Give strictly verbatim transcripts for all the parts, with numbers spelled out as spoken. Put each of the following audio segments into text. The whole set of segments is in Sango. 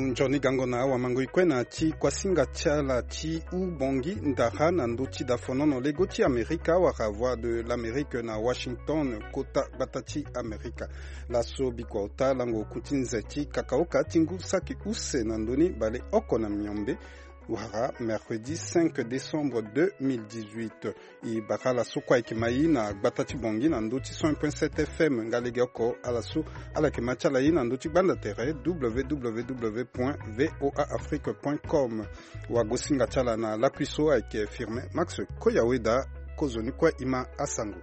Nzoni gango na awamango ikue na ti kuasinga ti ala ti Ubongi Ndara na ndö ti dafonono lego ti Amerika wala Voix de l'Amérique na Washington, kota gbata ti Amerika. Laso bikua ota lango oku ti nze ti kakaoka ti ngu saki use na ndö ni baleoko na miombe wala mercredi cinq décembre deux mille dix-huit. E bara ala so kue ayeke ma e na gbata ti Bangui na ndö ti cent un point sept F M nga legeoko ala so ala yeke ma ti ala e na ndö ti gbanda tere www point voa afrique point com. Wagosinga ti ala na lakui so ayeke Firmin Max Koyaweda. Kozoni kue e ma asango.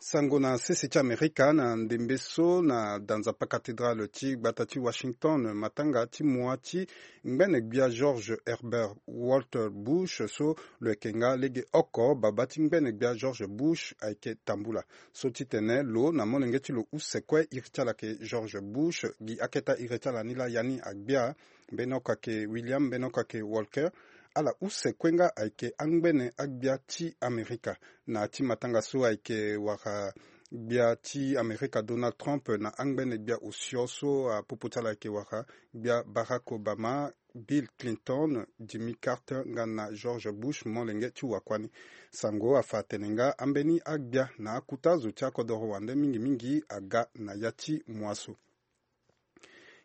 Sango na sese ti Amerika na ndembe so na danzapa cathédrale ti gbata ti Washington, matanga ti mua ti ngbene gbia George Herbert Walker Bush so lo yeke nga legeoko baba ti ngbene gbia George Bush ayeke tambula. So titene lo na molenge ti lo use kue, iri ti ala yeke George Bush, gi aketa iri ti ala ni laa ya ni agbia, mbeni oko ayeke William, mbeni oko ayeke Walker. Ala use kue nga ayeke angbene agbia ti Amerika. Na ya ti matanga so ayeke wara gbia ti Amerika Donald Trump na angbene gbia osio so apopo ti ala ayeke wara gbia Barack Obama, Bill Clinton, Jimmy Carter nga na George Bush molenge ti wakua ni. Sango afa atene nga ambeni agbia na akuta zo ti akodoro wande mingi mingi aga na ya ti mua so.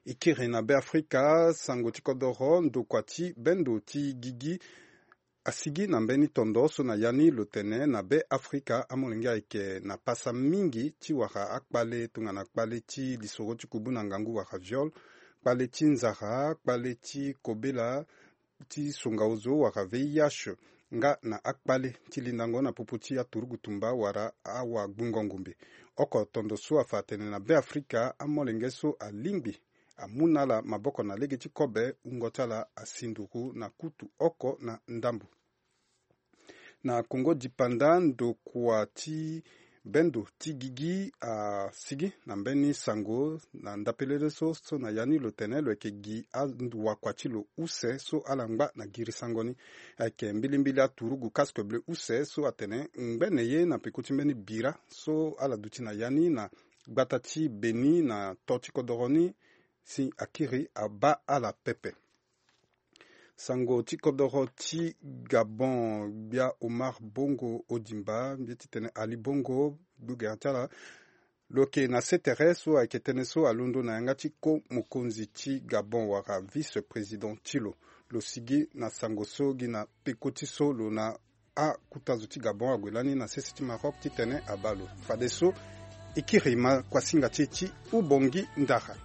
E kiri na Beafrika, sango ti kodoro, ndokua ti bendo ti gigi asigi na mbeni tondo so na ya ni lo tene na Beafrika amolenge ayeke na pasa mingi ti wara akpale tongana kpale ti lisoro ti kubu na ngangu wara viol, kpale ti nzara, kpale ti kobela, ti songa ozo wala V I H, nga na akpale ti lindango na popo ti aturugu tumba wala awagbungo ngombe. Oko tondo so afa atene na Beafrika amolenge so alingbi amu na ala maboko na lege ti kobe, wungo ti ala asi nduru na kutu oko na ndambo. Na Kongo dipanda, ndokua ti bendo ti gigi asigi na mbeni sango na ndapelele so, so na ya ni lo tene lo yeke gi awakua ti lo use so ala ngba na girisango ni. Ayeke mbilimbili aturugu casque bleu use so atene ngbene ye na peko ti mbeni bira so ala duti na ya ni na gbata ti Beni na to ti kodoro ni, si akiri abaa ala pepe. Sango ti kodoro ti Gabon, gbia Omar Bongo Odimba, mbi ye titene Ali Bongo, gbogere ti ala, lo yeke na sese tere so ayeke tënë so alondo na yanga ti ko mokonzi ti Gabon wala vice-président ti lo. Lo sigi na sango so gi na peko ti so lo na akuta zo ti Gabon ague lani na sese ti Maroc titene abaa lo. Fadeso e kiri ma kuasinga ti e ti Ubongi Ndara.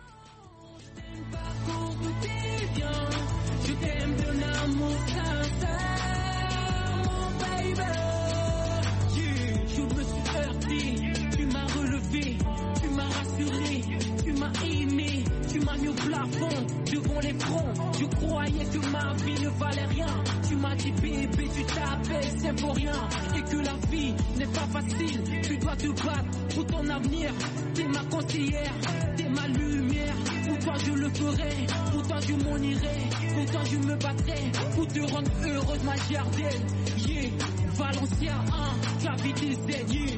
Tu m'as relevé, tu m'as rassuré, tu m'as aimé, tu m'as mis au plafond devant l'écran. Je croyais que ma vie ne valait rien. Tu m'as dit, bébé, tu t'appelles Symphorien et que la vie n'est pas facile. Tu dois te battre pour ton avenir. T'es ma conseillère, t'es ma lumière. Pour toi, je le ferai. Pour toi, je m'en irai. Pour toi, je me battrai. Pour te rendre heureuse, ma G R D L. Yeah, Valencia, hein, tu as vidé Z, yeah.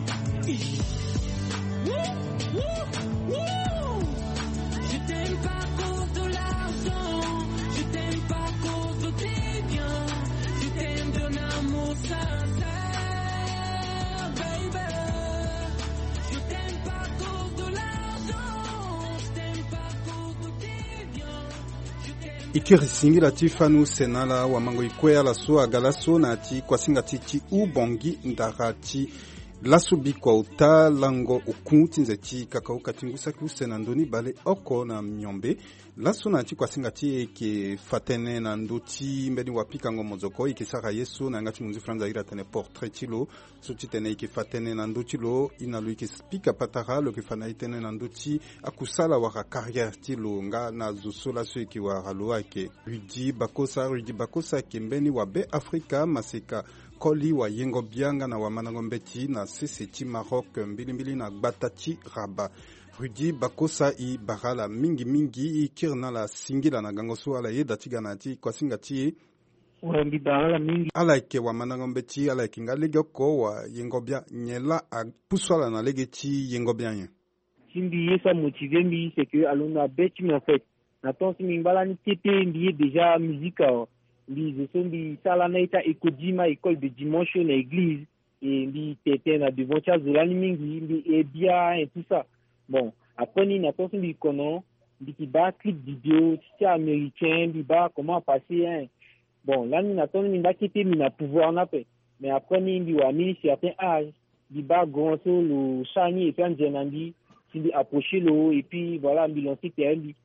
Wouh, wouh, wouh. Je t'aime pas à cause de l'argent, je t'aime pas à cause de tes biens, je t'aime d'un amour sincère, baby. Je t'aime pas à cause de l'argent, je t'aime pas à cause de tes biens, je t'aime. E kiri singila ti fani use na ala wamango e kue ala so aga laso na ya ti kuasinga ti e ti Ubongi Ndara ti laso bikua ota lango oku ti nze ti kakaoka ti ngu saki use na ndö ni baleoko na miombe. Laso na ya ti kuasinga ti e e yeke fa tënë na ndö ti mbeni wapikango mozoko e yeke sara ye so na yanga ti monzi franza iri atene portrait ti lo. So titene e yeke fa tënë na ndö ti lo, e na lo e yeke pika patara, lo yeke fa na e tënë na ndö ti akusala wala carrière ti lo nga na zo so laso e yeke wara lo ayeke Rudy Bakosa. Rudy Bakosa ayeke mbeni wabeafrika maseka koli wayengo-bia nga na wamandango mbeti na sese ti Maroc, mbilimbili na gbata ti Rabat. Rudy Bakosa, e bara ala mingi mingi, e kiri na ala singila na gango so ala yeda ti ga na ya ti kuasinga ti e. Wa mbi bara ala mingi. Ala yeke wamandango mbeti, ala yeke nga legeoko wayengo-bia, nyen laa apusu ala na lege ti yengo-bia nyen? Si mbi ye so amotive mbi, c'est que alondo na be ti mbi en fait. Na temps so mbi ngba lani kete mbi ye déjà musique awa. Mbi zo so mbi sara na ita ekodima école de dimanche na église. E mbi tete na devant ti azo lani mingi, mbi e bia et tout ça. Bon, après ni na temps so mbi kono, mbi ki baa clip vidéo ti ti américain, mbi baa comment passer hein. Bon, lani na temps ni mbi ngba kete mbi na pouvoir ni ape. Mais après ni mbi wara mbi ni certain âge, mbi baa grand so lo sara ni et puis anze na mbi, si mbi approcher lo et puis voilà mbi lancer terrain mbi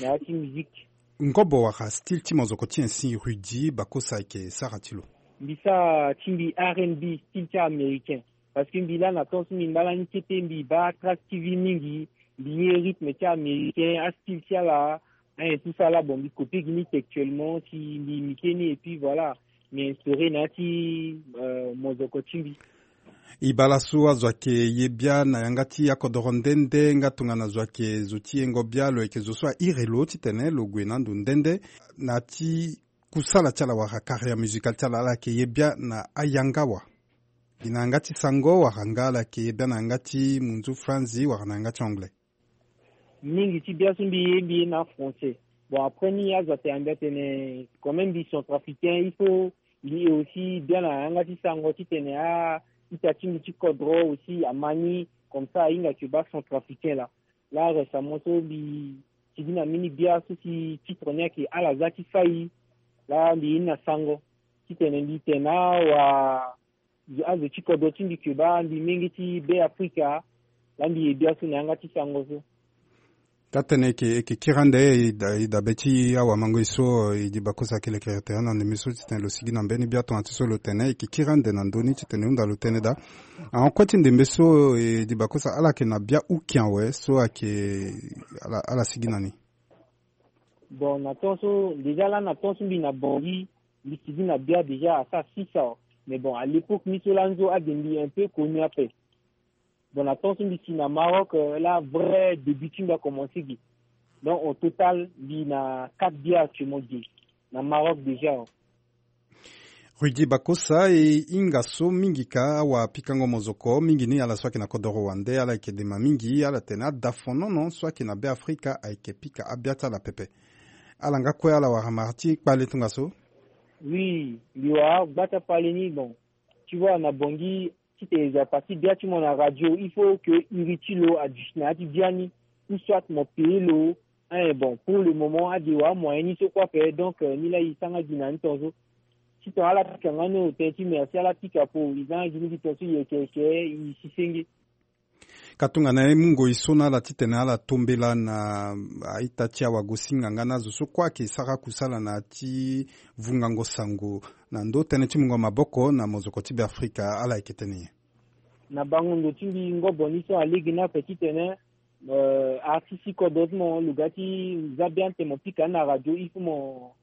na ya ti musique. Ngobo wala style ti mozoko ti nyen si Rudy Bakosa ayeke sara ti lo? Mbi sara ti mbi R and B, style ti américain. Parce que mbi laa na temps so mbi ngba lani kete mbi baa Trace T V mingi, mbi ye rythme ti américain, astyle ti ala, hein, tout ça là, bon, mbi copier gi ni textuellement, si mbi imiter ni, et puis voilà, mbi instaurer na ya ti, euh, mozoko ti mbi. E baa laso azo ayeke ye bia na yanga ti akodoro nde nde, nga tongana zo ayeke zo ti yengo bia, lo yeke zo so airi lo titene lo gue na ando nde nde. Na ya ti kusala ti ala wala carrière musicale ti ala, ala yeke ye bia na ayanga wa? Gi na yanga ti sango wala nga ala yeke ye bia na yanga ti munzu franzi wala na yanga ti anglais? Mingi ti bia so mbi ye, mbi ye na français. Bon, après ni azo atene, mbi atene quand même mbi centrafricain, il faut mbi ye aussi bia na yanga ti sango titene a-ita ti mbi ti kodro aussi ama ni, comme ça ahinga ke baa centrafricain laa. Laa récemment so mbi sigi na mbeni bia so si titre ni ayeke Ala za ti fai. Laa mbi ye ni na sango titene mbi tene na awa azo ti kodro ti mbi ke baa mbi menge ti Be Afrika. Laa mbi ye bia so na yanga ti sango so. Taa tënë eke, eke kiri ande e da-, e dabe ti awamango e so, e, Rudy Bakosa ayeke lekere tere na ndembe so titene lo sigi na mbeni bia tongana ti so lo tene, eke kiri ande na ndö ni titene e hunda lo tënë daa. Ahon kue ti ndembe so, e, Rudy Bakosa, ala yeke na bia uki awe so ayeke ala, ala sigi na ni? Bon, na temps so, déjà laa na temps so mbi na Bangui, mbi sigi na bia déjà asara six ans. Mais bon, à l'époque ni so laa nzo ade mbi un peu connu ape. Bon, na temps so mbi si na Maroc, euh, laa vrai début ti mbi akomanse ge. Donc au total mbi na quatre biens actuellement ge na Maroc déjà. Rudy Bakosa, e hinga so mingi ka awapikango mozoko mingi ni ala so ayeke na kodoro wande, ala yeke dema mingi, ala tene adafonono so ayeke na Be Afrika ayeke pika abia ti ala pepe. Ala nga kue ala wara mara ti kpale tongaso? Oui, mbi wara gba ti akpale ni. Bon, tu vois, na Bangui, titene e zo aparti bia ti mo na radio, il faut que iri ti lo aduti na ya ti biani, ou soit mo paye lo. Hein, bon, pour le moment ade wara moyen ni so kue ape, donc, euh, ni laa e sara nga gi na ni tongaso. Titene ala pika nga ni, o tene ti merci, ala pika po e za nga gi ni gi tongaso, e yeke yeke, e si senge. Ka tongana e mu ngoi so na ala titene ala tombela na a-ita ti awagosinga nga na azo so kue ayeke sara kusala na ya ti vungango sango na ndö tënë ti mungo maboko na mozoko ti Be Afrika, ala yeke tene nyen? Na bango ndo ti mbi ngobo ni so alege ni ape titene, euh, artiste ti kodro ti mo, lo ga ti za bia tene mo pika ni na radio, il faut mo,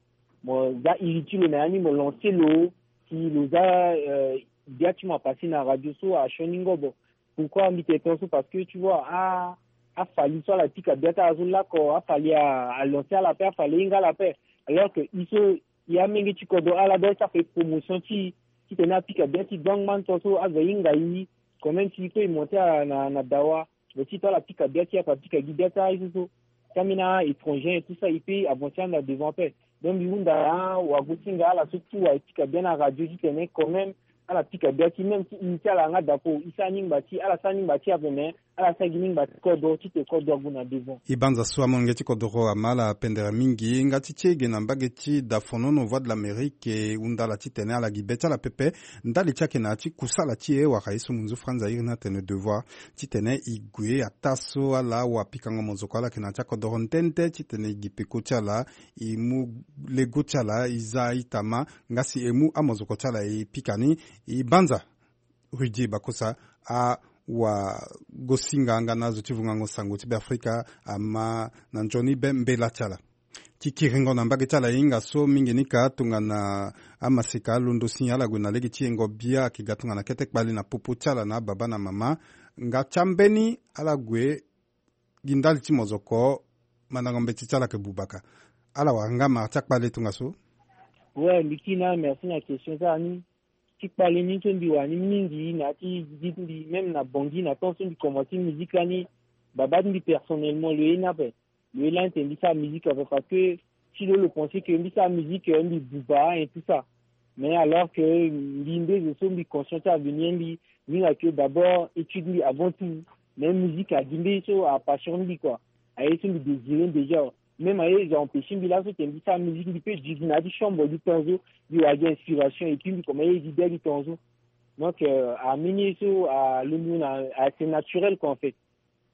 mo za iri ti lo na ya ni, mo lancer lo, si lo za, euh, bia ti mo apasser na radio so asioni ngobo. Pourquoi mbi tene tongaso? Parce que tu vois, a, afali so ala pika bia ti ala so lakue, afali a, alancer ala ape, afali ahinga ala ape. Alors que e so e amenge ti kodro, ala doit ti afe promotion ti e, titene apika bia ti e, donc ngba ni tongaso azo ahinga e, quand même si e peut e monter na, na dawa. Mais titene ala pika bia ti e ape, apika gi bia ti ala ye so so. Ti ambeni a-étranger et tout ça, e peut avancer ande na devant ape. Donc mbi hunda na awagosinga, ala so ti wa e pika bia na radio titene quand même ala pika bia ti, même ti iri ti ala nga dapo, e sara ni ngba ti, ala sara ni ngba ti ape, mais ala sara gi ni ngba ti kodro titene kodro ague na devant. E banza so amolenge ti kodro ama ala pendere mingi nga ti ti e ge na mbage ti dafonono Voix de l'Amérique, e hunda ala titene ala gi be ti ala pepe ndali ti ayeke na ya ti kusala ti e wala ye so munzu franzi airi ni atene devoir, titene e gue ataa so ala awapikango mozoko ala yeke na ya ti akodoro nde nde titene e gi peko ti ala, e mu lego ti ala, e za a-ita ma, nga si e mu amozoko ti ala e pika ni. E banza Rudy Bakosa, awagosinga nga na azo ti vungango sango ti Be Afrika ama na nzoni be mbela ti ala. Ti kiringo na mbage ti ala e hinga so mingi ni ka tongana amaseka alondo si ala gue na lege ti yengo bia ayeke ga tongana kete kpale na popo ti ala na ababa na mama. Nga ti ambeni ala gue gi ndali ti mozoko, mandango mbeti ti ala ayeke bubaka. Ala wara nga mara ti akpale tongaso? Ouais, mbi kiri na ala merci na question ti ala ni. Ti kpale ni so mbi wara ni mingi na ya ti gi ti mbi, même na Bangui, na temps so mbi komanse musique lani, Baba ti mbi personnellement lo ye ni ape. Lo ye lani tene mbi sara musique ape parce que si lo lo pensé que mbi sara musique, euh, mbi buba et tout ça. Mais alors que mbi nde zo so mbi conscient ti avenir mbi, mbi hinga que d'abord étude mbi avant tout. Mais musique agi nde so apassion mbi quoi. Aye so mbi désiré déjà. Même aye zo empêché mbi laso tene mbi sara musique mbi peut duti na ya ti chambre du temps so mbi wara gi inspiration et puis mbi commencé ye gi bia du temps so. Donc euh, ameni ye so alondo na, ah, c'est naturel quoi en fait.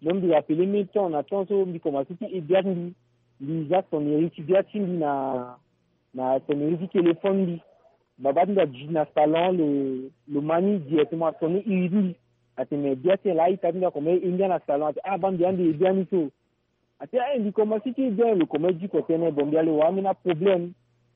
Donc mbi rappelé même temps na temps so mbi commencé ti e bia ti mbi. Mbi za sonnerie ti bia ti mbi na, na sonnerie ti téléphone mbi. Baba ti mbi aduti na salon, lo, lo ma ni directement asonné iri ti mbi. Atene bia ti en laa ita ti mbi akomanse e ngia na salon ate ah baa mbi ande e bia ni so. Ate ah mbi komanse ti e bia lo komanse diko tënë bon mbi ale wara ambeni aproblème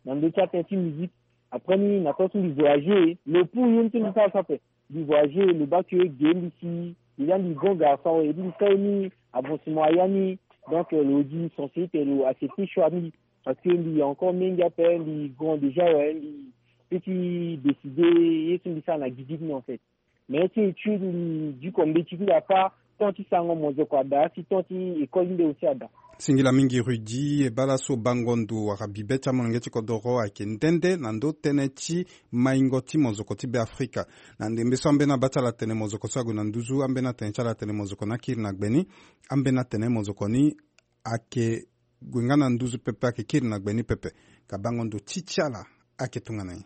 na ndö ti atënë ti musique. Après ni na temps so mbi voyagé lo pour ye ni so mbi sara so ape. Mbi voyagé lo baa que ge mbi si déjà mbi grand garçon et puis mbi sara ye ni avancement aya ni. Donc euh, lo gi sensibilité lo accepté choix ti mbi parce que mbi encore mingi ape mbi grand déjà ouais mbi peut ti décidé ye so mbi sara na gi ti ni en fait. Mais ti étude mbi diko mbeti ti mbi afa temps ti sarango mozoko ada si temps ti école ti mbi aussi ada. Singila mingi Rudy e baa laso bango ndo wala bibe ti amolenge ti kodoro ayeke nde nde na ndö tënë ti maingo ti mozoko ti Beafrika. Na ndembe so ambeni abaa ti ala atene mozoko so ague na nduzu ambeni atene ti ala atene mozoko ni akiri na gbe ni. Ambeni atene mozoko ni ayeke gue nga na nduzu pepe ayeke kiri na gbe ni pepe. Ka bango ndo ti ti ala ayeke tongana nyen?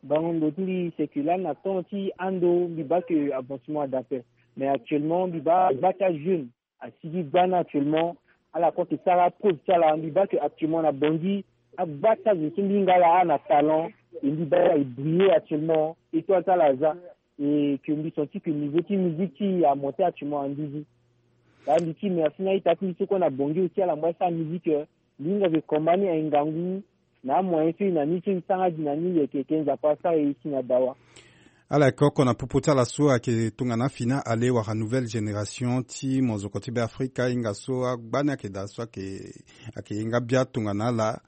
Bango ndo ti mbi c'est que lani na temps ti ando mbi baa que avancement ada ape. Mais actuellement mbi baa gba ti ajeune asigi gba ni actuellement. Ala kue ayeke sara preuve ti ala mbi baa que actuellement na Bangui agba ti azo so mbi hinga ala a na talent. Et mbi baa ala e briller actuellement étoile ti ala aza. Et que mbi senti que niveau ti musique ti e amonté actuellement na nduzu. Baa mbi ti merci na ita ti mbi so kue na Bangui aussi ala mu asara musique. Mbi hinga que combat ni aye ngangu. Na amoyen so e na ni so e sara gi na ni yeke yeke Nzapa asara e si na dawa. Ala yeke oko na popo ti ala so ayeke tongana Fina Ale wala nouvelle génération ti mozoko ti Beafrika e hinga so agba ni ayeke daa so ayeke ayeke ye nga bia tongana ala.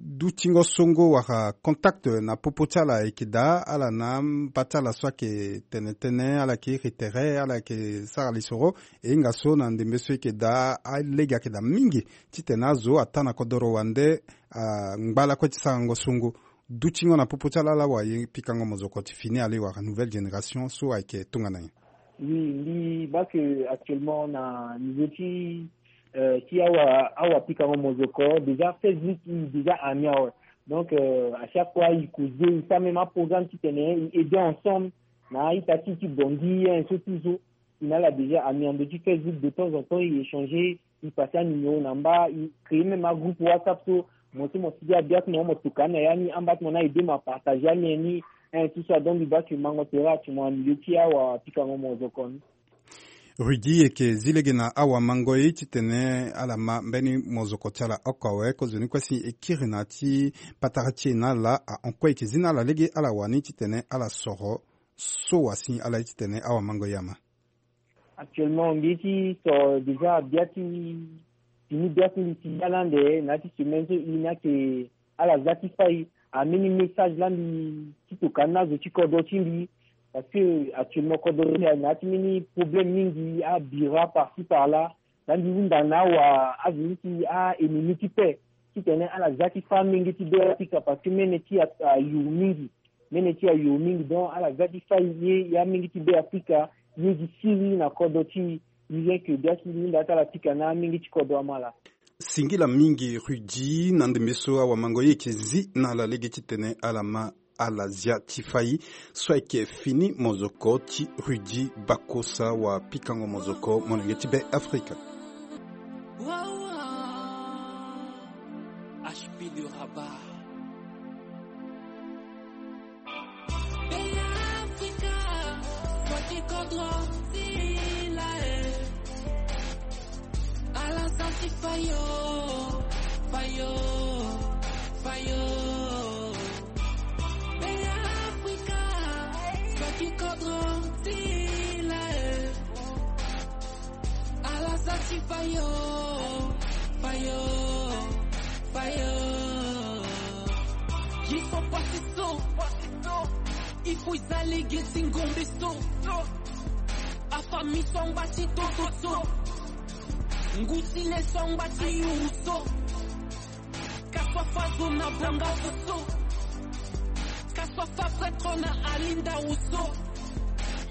Dutingo songo wala contact na popo ti ala ayeke daa ala na amba ti ala so ayeke tene tënë ala yeke iri tere ala yeke sara lisoro. E hinga so na ndembe so e yeke daa alege ayeke daa mingi titene azo ataa na kodoro wande angba lakue ti sarango songo. Dutingo na popo ti ala ala wara ye pikango mozoko ti Fina Ale wala nouvelle génération so ayeke tongana nyen? Oui mbi baa que actuellement na niveau ti euh, ti awa awa pikango mozoko déjà Facebook i déjà ami awe. Donc euh, à chaque fois i causer i sara même aprogramme titene i aider ensemble na aita ti ti Bangui un so ti so. I na ala déjà ami na ndö ti Facebook de temps en temps i échanger i passer anuméro na mba i créer même agroupe WhatsApp so mo so mo si gi abia ti mo mo tokua ni na ya ni amba ti mo ni aye de mo apartager amien ni. Un tout ça donc mbi baa que mango tere actuellement na milieu ti awa pikango mozoko ni. Rudy e yeke zi lege na awamango ye titene ala ma mbeni mozoko ti ala oko awe kozoni kue si e kiri na ya ti patara ti e na ala ahon kue e yeke zi na ala lege ala wani titene ala soro so wa si ala ye titene awamango ye ama. Actuellement mbi ye ti soro déjà bia ti fini bia ti mbi ti ya lande na ya ti semaine so i ni ayeke ala za ti fâ i. Ambeni message laa mbi ti toka ni na azo ti kodro ti mbi. Parce que actuellement kodro ti mbi ayeke na ya ti mbeni problème mingi abira par ci par là. Laa mbi hunda na awa azo ni ti a-ennemi ti paix titene ala za ti fâ amenge ti Beafrika parce que mene ti ayuru mingi. Mene ti ayuru mingi donc ala za ti fâ i ye ya amenge ti Beafrika. Ye gi siri na kodro ti i. I vient que bia ti mbi hunda ti ala pika na amenge ti kodro ama laa. Singila mingi Rudy na ndembe so awamango ye yeke zi na ala lege titene ala ma ala zia ti fâ i so ayeke fini mozoko ti Rudy Bakosa wa pikango mozoko molenge ti Beafrika. H P de Rabat. Beafrika, fâ ti kodro ti la e. Ala za ti fâ yo, fâ yo, fâ yo. Beafrika, fâ ti kodro ti la e. Ala za ti fâ yo, fâ yo, fâ yo. Il faut passer so, passer so. Il faut i za lege ti ngombe so. Afamille so angba ti toto so. Nguti le so angba ti yuru so. Kasua fa zo na bonga so. Kasua fa prêtre na alinda wo so.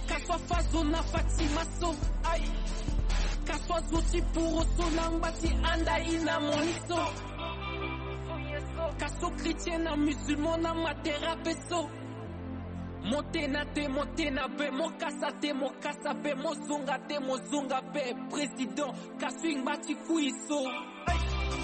Kasua fa zo na fatima so. Ai. Kasua zo ti puro so na ngba ti anda i na moni so. Kaso chrétien na musulman na matera pe so. Mo tena te mo tena pe, mo kasa te mo kasa pe, mo zonga te mo zonga pe. Président kaso i ngba ti kui so.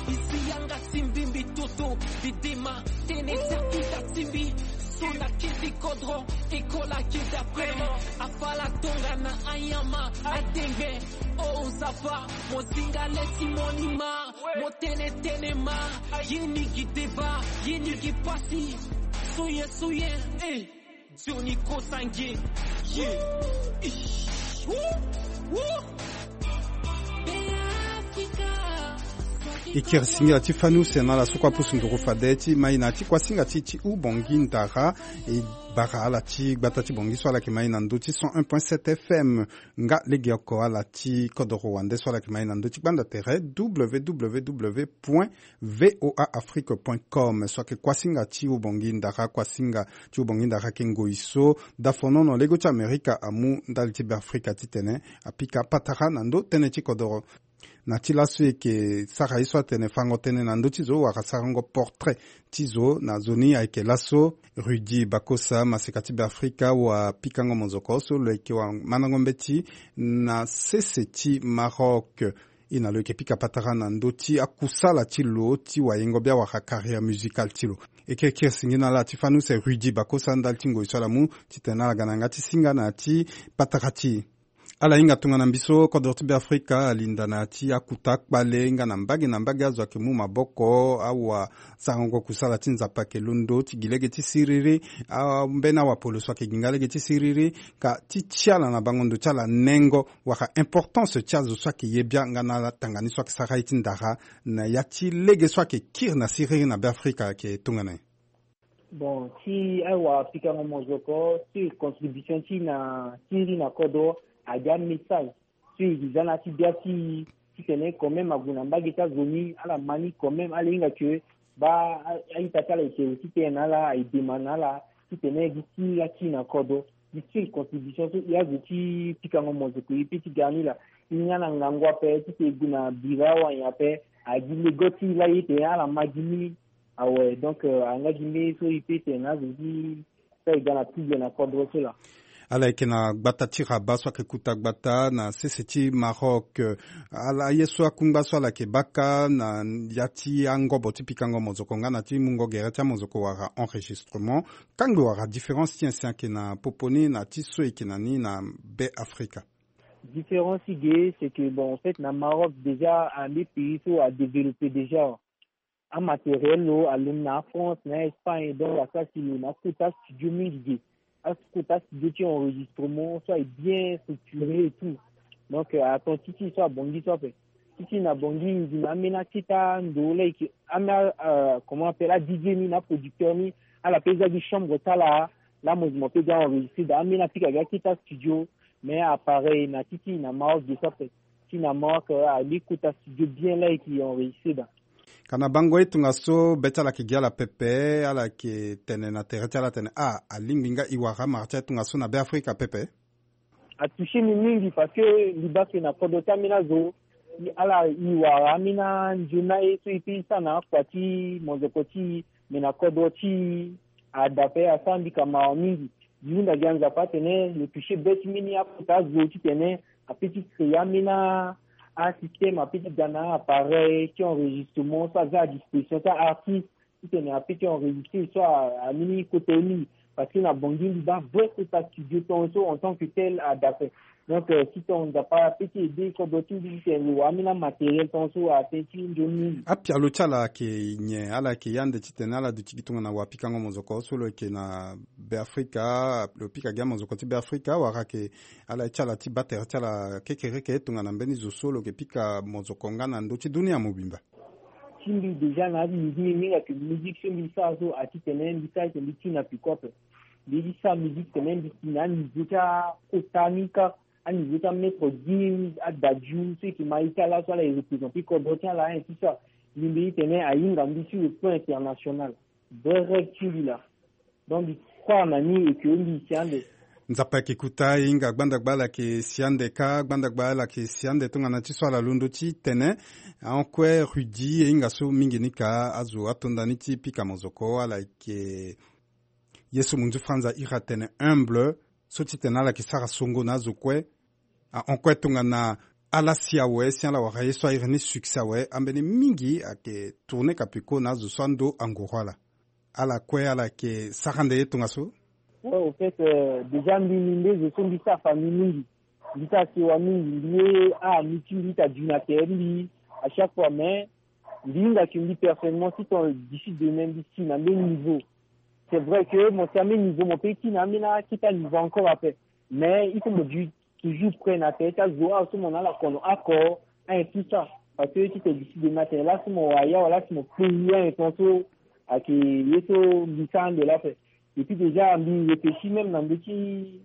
Isi yanga timbi mbi toto bidema tene ti akita timbi. So na kiti kodro. Ekola kiti aprema. Afala tonga na anyama adengbe. O nzapa mo zinga le ti monima. Mo tene tene ma. Ye ni gi deba. Ye ni gi pasi. Suye suye. Eh. Johnny Kosange. Yeah. Ish. Woo. Woo. Beafrika. E kiri singila ti fani use na ala so kue apusu nduru fade ti mai na ti kuasinga ti ti hubongi ndara. E bara ala ti gbata ti bongi so ala yeke mai na ndö ti cent un point sept F M. Nga legeoko ala ti kodoro wande so ala yeke mai na ndö ti gbanda tere www point voa afrique point com so ayeke kuasinga ti hubongi ndara. Kuasinga ti hubongi ndara ayeke ngoi so dafonono lego ti amerika amu ndali ti beafrika titene apika patara na ndö tënë ti kodoro. Na ti laso e yeke sara ye so atene fango tënë na ndö ti zo wala sarango portrait ti zo na zo ni ayeke laso Rudy Bakosa maseka ti beafrika wapikango mozoko so lo yeke wamandango mbeti na sese ti Maroc. E na lo yeke pika patara na ndö ti akusala ti lo ti wayengo bia wala carrière musicale ti lo. E kiri kiri singi na ala ti fani use Rudy Bakosa ndali ti ngoi so ala mu titene ala ga na yanga ti singa na ya ti patara ti e. Ala hinga tongana mbi so kodro ti beafrika alinda na ya ti akuta kpale nga na mbage na mbage azo ayeke mu maboko awa sarango kusala ti nzapa ayeke londo ti gi lege ti siriri. Ambeni awapolo so ayeke gi nga lege ti siriri. Ka ti ti ala na bango ndo ti ala nengo wala importance ti azo so ayeke ye bia nga na ala tanga ni so ayeke sara ye ti ndara na ya ti lege so ayeke kiri na siriri na beafrika ayeke tongana nyen? Bon, ti awa pikango mozoko ti contribution ti na ti ri na kodro aga message ti iri za na ti bia ti titene quand même ague na mbage ti azo ni ala ma ni quand même ala hinga ke ba a-ita ti ala eke wu titene na ala aye dema na ala titene gi ti la ti na kodro gi ti contribution so e azo ti pikango mozoko e pe ti ga ni la. E nga na ngangu ape titene e gue na bira awa nyen ape agi lego ti la ye tene ala ma gi ni. Awe donc anga gi mbeni so e pe tene na azo ti so e ga na tuble na kodro so laa. Ala yeke na gbata ti Rabat so ayeke kuta gbata na sese ti Maroc. Ala ye so akungba so ala yeke baka na ya ti angobo ti pikango mozoko nga na ti mungo gere ti amozoko wala enregistrement kangbi wala différence ti nyen si ayeke na popo ni na ti so e yeke na ni na be afrika. Différence ti ge c'est que bon en fait na Maroc déjà ande pays so adéveloppé déjà. Amatériel lo alondo na France na Espagne donc asara si lo na akota studio mingi ge. Akota studio ti enregistrement so aye bien structuré et tout. Donc aton ti ti so abongi so ape ti ti na bongi ngi na ambeni akita ndo leke ambeni comment appelle adj ni na aproducteur ni. Ala pe za gi chambre ti ala la mozi mo pe ga enregistré da ambeni apika gi akita studio. Mais appareil na ti ti na Maroc de so ape ti na Maroc. Ali kota studio bien leke enregistré da. Ka na bango ye tongaso be ti ala yeke gi ala pepe ala yeke tene na tere ti ala atene ah alingbi nga e wara amara ti aye tongaso na be afrika pepe. Atouché mi mingi parce que mbi baa ke na kodro ti ambeni azo ala e wara ambeni anzoni aye so e pe e sara na akua ti mozoko ti e. Mais na kodro ti e ada pe asara mbi ka mawa mingi. Mbi hunda gi anzapa atene lo touché be ti mbeni akota azo titene ape ti créé ambeni asystème ape ti ga na appareil ti enregistrement so aza à disposition ti aartiste titene ape ti enregistré so amini kota ye mingi. Parce que na bongi mbi baa vrai kota studio tongaso en tant que tel ada ape. Donc ti tonga nzapa ape ti aidé kodro ti mbi titene lo wara ambeni amatériel tongaso atene ti nzoni mingi. Apialo ti ala ayeke nyen ala yeke ye ande titene ala duti gi tongana wapikango mozoko so lo yeke na be afrika lo pika gi amozoko ti be afrika wala ayeke ala ye ti ala ti baa tere ti ala kekereke tongana mbeni zo so lo yeke pika mozoko nga na ndö ti dunia mobimba. Ti mbi déjà na adi mbi mingi ake musique so mbi sara so atitene mbi sara eke mbi ti na piko ape. Mbi ye ti sara musique tene mbi si na aniveau ti akota ni kâ. aniveau ti amettre dix mille adadiu so eke ma ita laso ala e représenter kodro ti ala, hein, tout ça. Mbi mbi ti tene ahinga mbi sur le plan international. Vrai rêve ti mbi laa. Donc mbi croire na ni eke mbi si ande. Nzapa eke kuta e hinga gbandagba ala eke si ande ka gbandagba ala eke si ande tongana ti so ala londo ti tene. Ahon kue Rudy e hinga so mingi ni ka azo atonda ni ti pika mozoko ala eke ye so munzu franza iri atene humble. So ti tene ala yeke sara songo na azo kue. Ahon kue tongana ala si awe si ala wara ye so airi ni succès awe ambeni mingi ayeke tourner kapeko na azo so ando angoro ala. Ala kue ala yeke sara nde ye tongaso. Ouais, au fait, euh, déjà mbi mbi nde zo so mbi sara famille mingi. Mbi sara sewa mingi, mbi ye ah mbi ti mbi ita dju na tere ti mbi à chaque fois, mais mbi hinga ke mbi personnellement si ton d'ici demain mbi si na même niveau. C'est vrai que mo si na même niveau mo pe ti na même na kita niveau encore après. Mais il faut mo dju toujours prêt na tere ti azo awe so mo na ala kono oko, hein, tout ça. Parce que ti tene d'ici demain atene laso mo wara ya wala si mo pe ya, hein, ton so ayeke ye so mbi sara ande laa ape. Et puis déjà mbi réfléchir même na ndö ti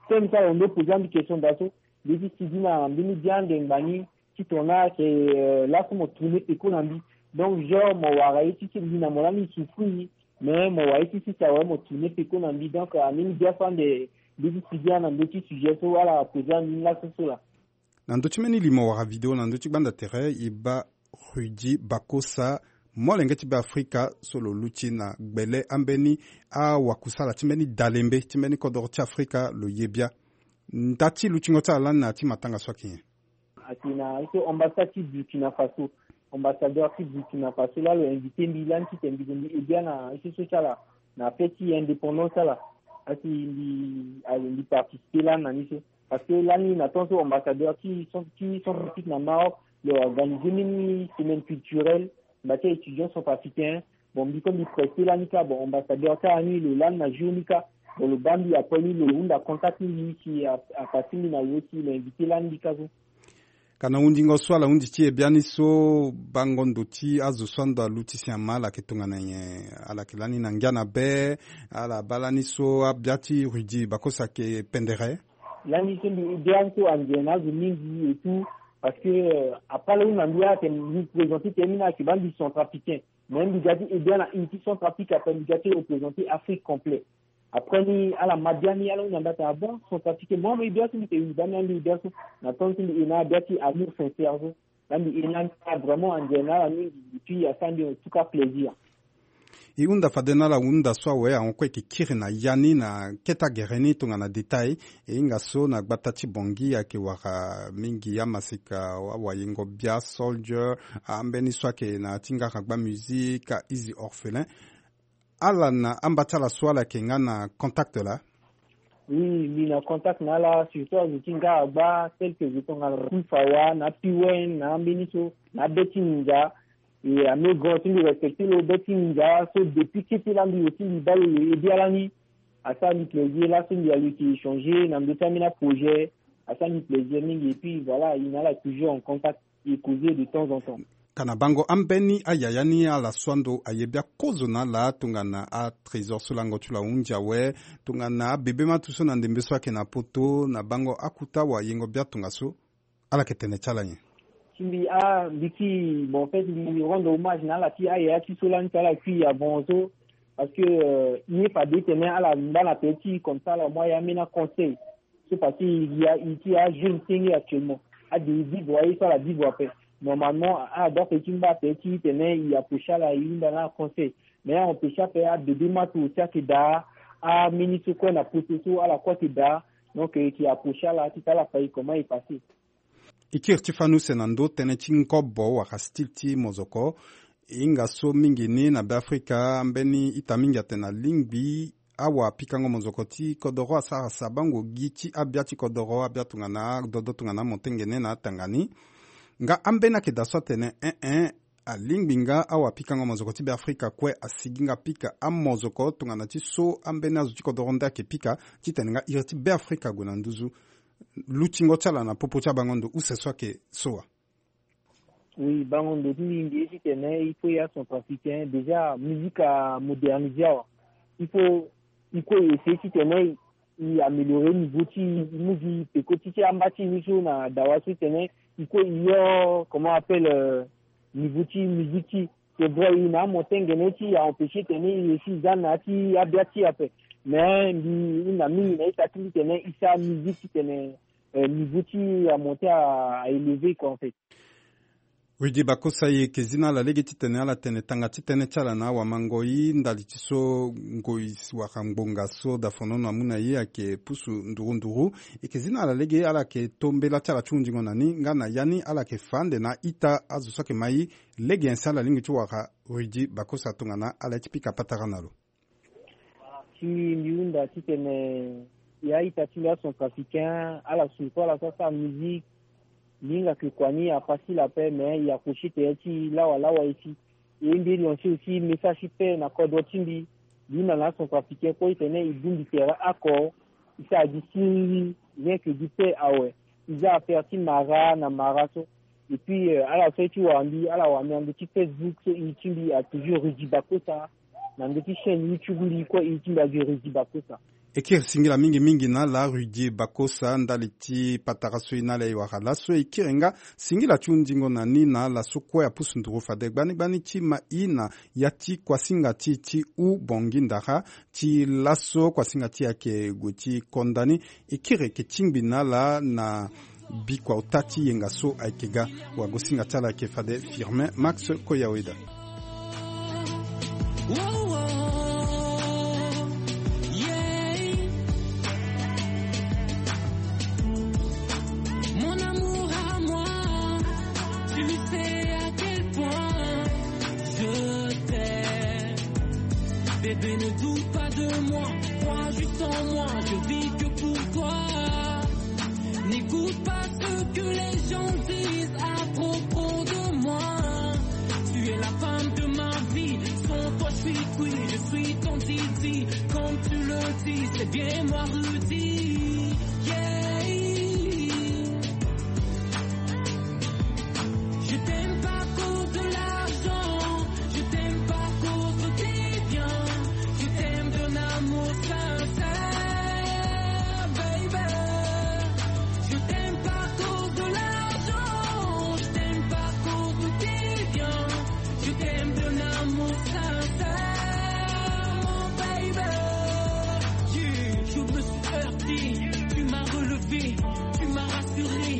thème so ala londo poser ande question daa so. Mbi ti sigi na mbeni bia ande ngba ni ti tongana ayeke, euh, laso mo tourner peko na mbi. Donc genre mo wara ye ti si mbi na mo lani souffrir, mais mo wara ye ti si si awe mo tourner peko na mbi. Donc, euh, ambeni bia so ande mbi ti sigi na ndö ti sujet so ala poser ande ni laso so laa. Na ndö ti mbeni limo wala video na ndö ti gbanda tere e baa Rudy Bakosa, molenge ti Beafrika so lo luti na gbele ambeni awakusala ti mbeni dalembe ti mbeni kodoro ti Afrika lo ye bia. Nda ti lutingo ti ala lani na ya ti matanga so ayeke nyen? Ayeke na ye so ambassade ti Burkina Faso. Ambassadeur ti Burkina Faso laa lo invité mbi lani titene mbi gue mbi aide bia na ye so so ti ala na fête ti indépendance ti ala. Asi mbi, mbi participer lani na ni so. Parce que lani na temps so ambassadeur ti cent, ti Centrafrique na Maroc, lo organiser mini semaine culturelle, mba ti étudiant centrafricain. Bon, mbi kue mbi preste lani kâ, bon, ambassadeur ti ala ni lo lani na jour ni kâ. Bon, lo baa mbi après ni lo hunda contact ti mbi si a, a passer mbi na lo si lo inviter lani mbi kâ so. Ka na hundingo so ala hundi ti e biani so, bango ndo ti azo so ando aluti si ama ala yeke tongana nyen? Ala yeke lani na ngia na be, ala baa lani so abia ti Rudy Bakosa ayeke pendere? Lani so mbi bia so anze na azo mingi et tout, parce que, euh, après lo hunda mbi ala tene mbi présenter tene mbi na ayeke baa mbi centrafricain. Mais mbi ga ti e bia na une ti Centrafrique, après mbi ga ti représenter Afrique complet. Après ni ala ma bia ni ala hunda mbi atene ah bon, centrafricain, mo e bia so mbi tene oui, baa mbi na mbi e bia so. Na temps so mbi e na ala bia ti amour sincère so. Laa mbi e na ala vraiment anze na ala mingi, et puis asara mbi en tout cas plaisir. E hunda fade na ala hunda so awe ahon kue e yeke kiri na ya ni na kete agere ni tongana détail. E hinga so na gbata ti Bangui ayeke wara mingi amaseka, awayengo bia, soldier, ambeni so ayeke na ya ti ngaragba musique, a-easy orphelin. Ala na amba ti ala so ala yeke nga na contact laa? Oui, mbi na contact na ala, surtout azo ti ngaragba tel que zo tongana Kuifawa na Piwen na ambeni so, na abe ti Ninza. E ame grand ti mbi respecter lo be ti Ninza so depuis kete laa mbi aussi mbi baa lo lo e bia lani. Asara mbi plaisir laso mbi aluti échanger na ndö ti ambeni aprojet. Asara mbi plaisir mingi et puis voilà, e na ala toujours en contact. E causer de temps en temps. Ka na bango ambeni ayaya ni ala so ando aye bia kozo na ala tongana atrésor so lango ti lo ahunzi awe, tongana abebe matu so na ndembe so ayeke na poto, na bango akuta wayengo bia tongaso, ala yeke tene ti ala nyen? Ti mbi ah mbi ti bon, en fait mbi rendre hommage na ala ti ayaya ti so lani ti ala kui avant so. Parce que, euh, ye fade tene ala ngba na tere ti comme ça ala mu ayeke ambeni aconseil. So parce que e ya e ti ajeune senge actuellement. Ade e vivre aye so ala vivre ape. Normalement ala doit ti ngba ape ti tene e approcher ala e hunda na ala conseil. Mais a empêcher ape, abebe matu aussi ayeke daa. Ameni so kue na poto so ala kue ayeke daa. Donc e yeke approcher ala titene ala fa e comment e passer. E kiri ti fani use na ndö tënë ti ngobo wala style ti mozoko. E hinga so mingi ni na Beafrika, mbeni ita mingi atene alingbi awapikango mozoko ti kodoro asara sabango gi ti abia ti kodoro, abia tongana adodo tongana amotengene na atanga ni. Nga ambeni ayeke daa so atene, eh eh, alingbi nga awapikango mozoko ti Beafrika kue asigi nga pika amozoko tongana ti so ambeni azo ti kodoro nde ayeke pika, titene nga iri ti Beafrika ague na nduzu. Lutingo ti ala na popo ti abango ndo use so ayeke so wa? Oui, bango ndo ti mbi mbi ye titene il faut ya centrafricain, déjà musique amoderniser awa. Il faut, il faut essayer titene e améliorer niveau ti e, e mu gi peko ti ti amba ti e ni so na dawa so titene e kue e yo comment appelle, euh, niveau ti musique ti e. C'est vrai, e na amonté ngbene ti e a empêcher titene e réussi e za na ya ti abia ti e ape. Mais mbi hunda mingi na ita ti mbi titene e sara musique titene, euh, niveau ti e amonté a, a élevé quoi en fait. Rudy Bakosa, e yeke zi na ala lege titene ala tene tanga ti tënë ti ala na awamangoi ndali ti so ngoi wala ngbonga so dafonono amu na e ayeke pusu nduru nduru. E yeke zi na ala lege ala yeke to mbela ti ala ti hundingo na ni nga na ya ni ala yeke fa ande na ita azo so ayeke ma e lege nyen si ala lingbi ti wara. Rudy Bakosa tongana ala ye ti pika patara na lo. Si mbi hunda titene ya ita ti mbi acentrafricain ala souffrir ala so asara musique, mbi hinga ke kua ni afacile ape, mais e accrocher tere ti e lawalawa ye ti. E mbi lancer aussi message ti paix na kodro ti mbi. Mbi hunda na acentrafricain kue titene e bongbi tere oko, e sara gi siriri, rien que gi paix awe. E za affaire ti mara na mara so. Et puis, euh, ala so ye ti wara mbi, ala wara mbi na ndö ti Facebook so e ti mbi a toujours Rudy Bakosa. Na ndö ti chaîne YouTube mbi kue e ti mbi a gi Rudy Bakosa. E kiri singila mingi mingi na ala Rudy Bakosa ndali ti patara so e na ala e wara laso. E kiri nga singila ti hundingo na ni na ala so kue apusu nduru fade gbani gbani ti ma e na ya ti kuasinga ti e ti hubongi ndara ti laso kuasinga ti e ayeke gue ti konda ni. E kiri yeke tingbi na ala na bikua ota ti yenga so ayeke ga. Wagosinga ti ala ayeke fade Firmin Max Koyaweda. Mon amour à moi, tu sais à quel point je t'aime. Bébé, ne doute pas de moi, crois juste en moi, je vis que pour toi. N'écoute pas ce que les gens disent à propos de moi. Tu es la femme de ma vie, sans toi je suis cuit, je suis ton Didi. Comme tu le dis, c'est bien moi Rudy. Yeah. Je t'aime pas à cause de l'argent, je t'aime pas à cause de tes biens, je t'aime d'un amour sincère, baby. Je t'aime pas à cause de l'argent, je t'aime pas à cause de tes biens, je t'aime d'un amour sincère, mon baby. Je, je me suis heurté, tu m'as relevé, tu m'as rassuré,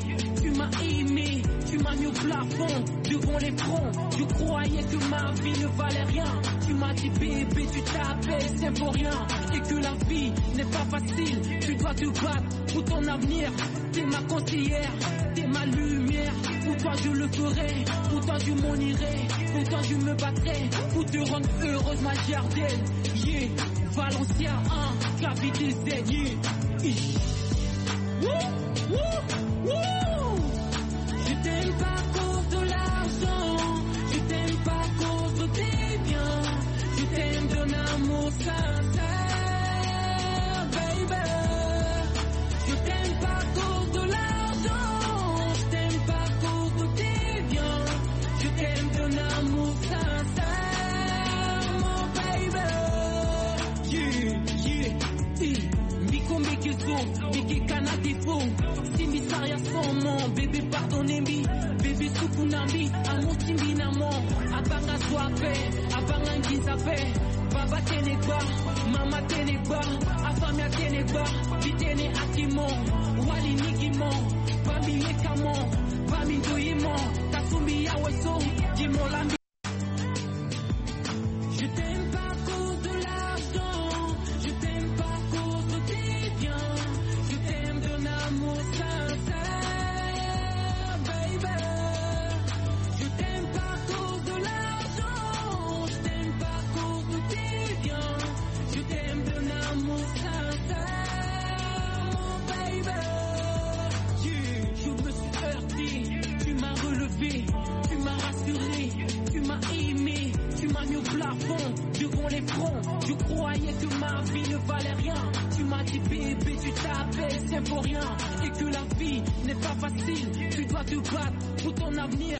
tu m'as aimé, tu m'as mis au plafond devant l'écran. Je croyais que ma vie ne valait rien. Tu m'as dit bébé, tu t'appelles Symphorien et que la vie n'est pas facile. Tu dois te battre pour ton avenir. T'es ma conseillère, t'es ma lumière. Pour toi je le ferai, pour toi je m'en irai, pour toi je me battrai, pour te rendre heureuse ma Jardelle. Yeah, Valencia, hein, K V T Z, yeah. Ish. Wouh, wouh, wouh. Je t'aime pas à cause de l'argent, je t'aime pas à cause de tes biens, je t'aime d'un amour sincère, baby. Je t'aime pas à cause de l'argent, je t'aime pas à cause de tes biens, je t'aime d'un amour sincère, mon baby. Yeah, yeah, yeah. Mbi ko mbi yeke zo, mbi yeke kana defo. Si mbi sara ya sans mon bébé pardonne mbi. Bébé suku na mbi, amour ti mbi na mo. Abanga zo ape, abanga nginza ape. Baba tene gba, mama tene gba, afamille atene gba. Mbi tene aki mo, wali ni gi mo. Ba mbi yeka mo, ba mbi ndoyi mo. Tasumbi yawe so, gi mo la mbi. Je t'aime pas à cause de l'argent, je t'aime pas à cause de tes biens, je t'aime d'un amour sincère, baby. Je t'aime pas à cause de l'argent, je t'aime pas à cause de tes biens, je t'aime d'un amour sincère, mon baby. Je, je me suis heurté, tu m'as relevé, tu m'as rassuré, tu m'as aimé, tu m'as mis au plafond, devant l'écran. Je croyais que ma vie ne valait rien. Tu m'as dit bébé, tu t'appelles Symphorien et que la vie n'est pas facile. Tu dois te battre pour ton avenir.